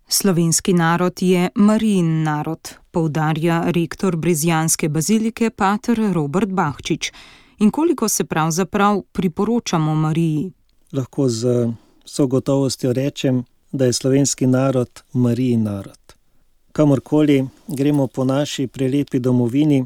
Slovenski narod je Marijin narod, poudarja rektor Brezjanske bazilike pater Robert Bahčič. In koliko se pravzaprav priporočamo Mariji? Lahko z vso gotovostjo rečem, da je slovenski narod Marijin narod. Kamorkoli gremo po naši prelepi domovini,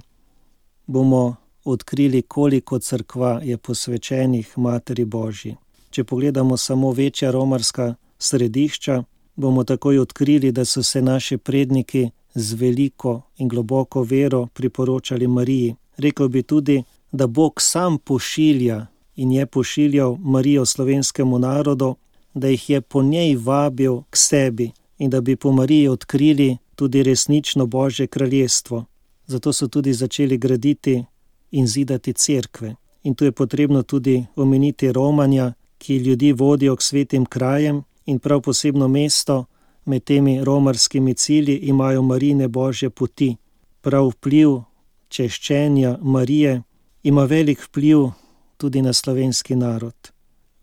bomo odkrili, koliko cerkva je posvečenih Materi Božji. Če pogledamo samo večja romarska središča, bomo takoj odkrili, da so se naši predniki z veliko in globoko vero priporočali Mariji. Rekel bi tudi, da Bog sam pošilja in je pošiljal Marijo slovenskemu narodu, da jih je po njej vabil k sebi in da bi po Mariji odkrili tudi resnično Božje kraljestvo. Zato so tudi začeli graditi in zidati cerkve. In tu je potrebno tudi omeniti Romanja, ki ljudi vodijo k svetim krajem in prav posebno mesto med temi romarskimi cilji imajo Marijine Božje poti. Prav vpliv češčenja Marije ima velik vpliv tudi na slovenski narod.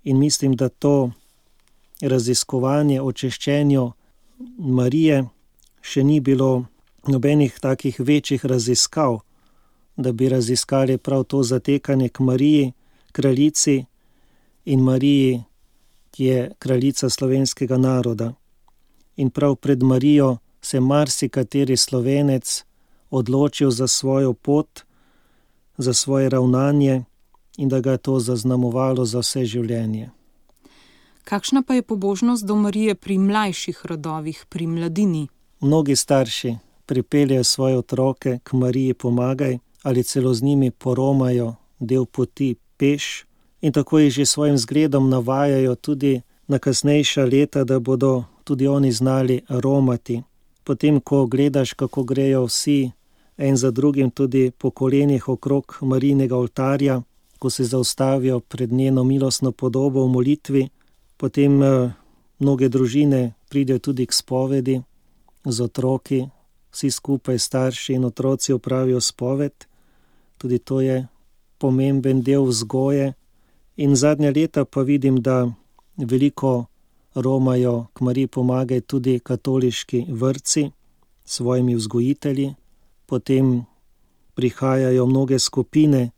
In mislim, da to raziskovanje o češčenju Marije še ni bilo nobenih takih večjih raziskav, da bi raziskali prav to zatekanje k Mariji, kraljici in Mariji, ki je kraljica slovenskega naroda. In prav pred Marijo se marsikateri Slovenec odločil za svojo pot, za svoje ravnanje in da ga je to zaznamovalo za vse življenje. Kakšna pa je pobožnost do Marije pri mlajših rodovih, pri mladini? Mnogi starši pripeljejo svoje otroke k Mariji Pomagaj ali celo z njimi poromajo del poti peš in tako jih že svojim zgledom navajajo tudi na kasnejša leta, da bodo tudi oni znali romati. Potem, ko gledaš, kako grejo vsi en za drugim tudi po kolenih okrog Marijinega oltarja, ko se zaustavijo pred njeno milostno podobo v molitvi, potem mnoge družine pridejo tudi k spovedi z otroki, vsi skupaj starši in otroci opravijo spoved. Tudi to je pomemben del vzgoje. In zadnja leta pa vidim, da veliko romajo k Mariji Pomagaj tudi katoliški vrtci s svojimi vzgojitelji. Potem prihajajo mnoge skupine,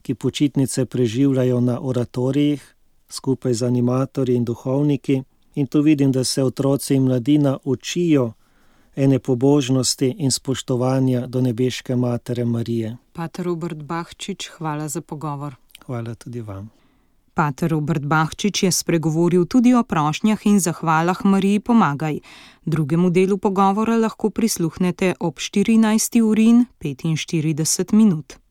ki počitnice preživljajo na oratorijih, skupaj z animatorji in duhovniki. In tu vidim, da se otroci in mladina učijo ene pobožnosti in spoštovanja do nebeške Matere Marije. Pater Robert Bahčič, hvala za pogovor. Hvala tudi vam. Pater Robert Bahčič je spregovoril tudi o prošnjah in zahvalah Mariji Pomagaj. Drugemu delu pogovora lahko prisluhnete ob 14:45.